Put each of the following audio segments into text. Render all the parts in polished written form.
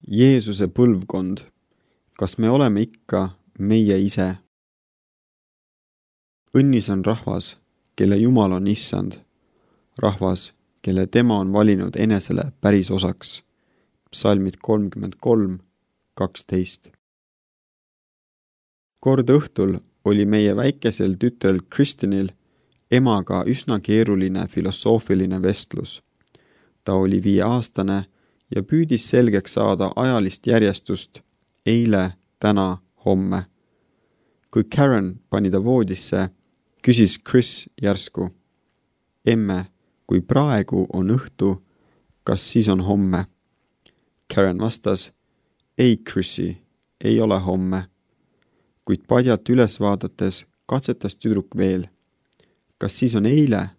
Jeesuse põlvkond. Kas me oleme ikka meie ise? Õnnis on rahvas, kelle Jumal on issand. Rahvas, kelle tema on valinud enesele päris osaks. Psalmid 33:12. Kord õhtul oli meie väikesel tütrel Kristinil emaga üsna keeruline filosoofiline vestlus. Ta oli 5-aastane ja püüdis selgeks saada ajalist järjestust eile, täna, homme. Kui Karen pani ta voodisse, küsis Chris järsku: Emme, kui praegu on õhtu, kas siis on homme? Karen vastas: Ei, Chrisi, ei ole homme. Kuid padjalt üles vaadates katsetas tüdruk veel. Kas siis on eile?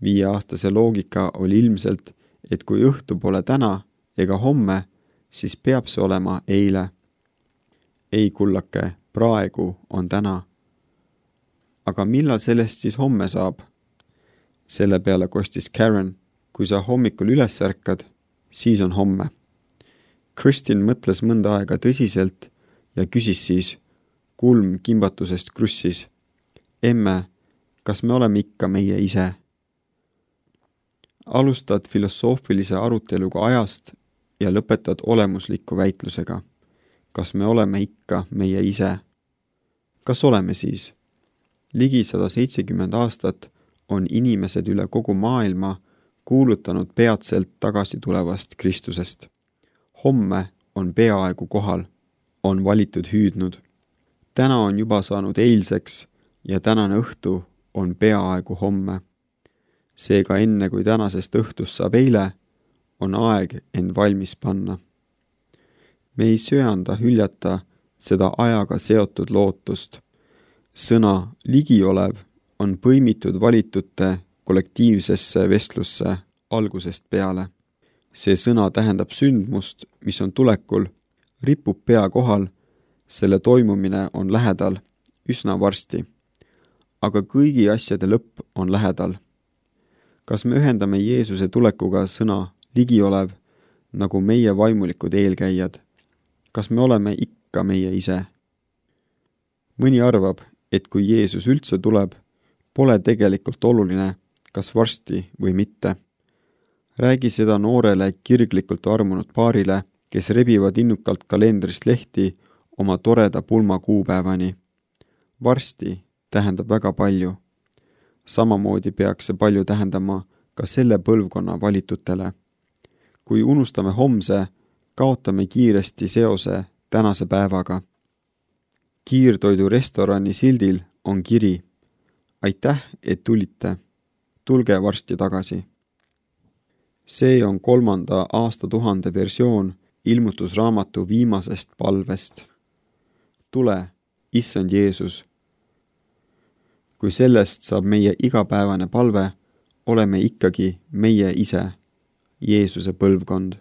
5-aastase loogika oli ilmselt, et kui õhtu pole täna ega homme, siis peab see olema eile. Ei, kullake, praegu on täna. Aga millal sellest siis homme saab? Selle peale kostis Karen: kui sa hommikul üles ärkad, siis on homme. Kristin mõtles mõnda aega tõsiselt ja küsis siis, kulm kimbatusest krussis: Emme, kas me oleme ikka meie ise? Alustad filosoofilise aruteluga ajast ja lõpetad olemusliku väitlusega. Kas me oleme ikka meie ise? Kas oleme siis? Ligi 170 aastat on inimesed üle kogu maailma kuulutanud peatselt tagasi tulevast Kristusest. Homme on peaaegu kohal, on valitud hüüdnud. Täna on juba saanud eilseks ja tänane õhtu on peaaegu homme. Seega enne kui tänasest õhtust saab eile, on aeg end valmis panna. Me ei söanda hüljata seda ajaga seotud lootust. Sõna ligiolev on põimitud valitute kollektiivsesse vestlusse algusest peale. See sõna tähendab sündmust, mis on tulekul, ripub pea kohal, selle toimumine on lähedal, üsna varsti. Aga kõigi asjade lõpp on lähedal. Kas me ühendame Jeesuse tulekuga sõna ligiolev, nagu meie vaimulikud eelkäijad? Kas me oleme ikka meie ise? Mõni arvab, et kui Jeesus üldse tuleb, pole tegelikult oluline, kas varsti või mitte. Räägi seda noorele kirglikult armunud paarile, kes rebivad innukalt kalendrist lehti oma toreda pulma kuupäevani. Varsti tähendab väga palju. Samamoodi peaks see palju tähendama ka selle põlvkonna valitutele. Kui unustame homse, kaotame kiiresti seose tänase päevaga. Kiirtoidu restorani sildil on kiri: Aitäh, et tulite. Tulge varsti tagasi. See on 3. aastatuhande versioon ilmutusraamatu viimasest palvest. Tule, issand Jeesus. Kui sellest saab meie igapäevane palve, oleme ikkagi meie ise, Jeesuse põlvkond.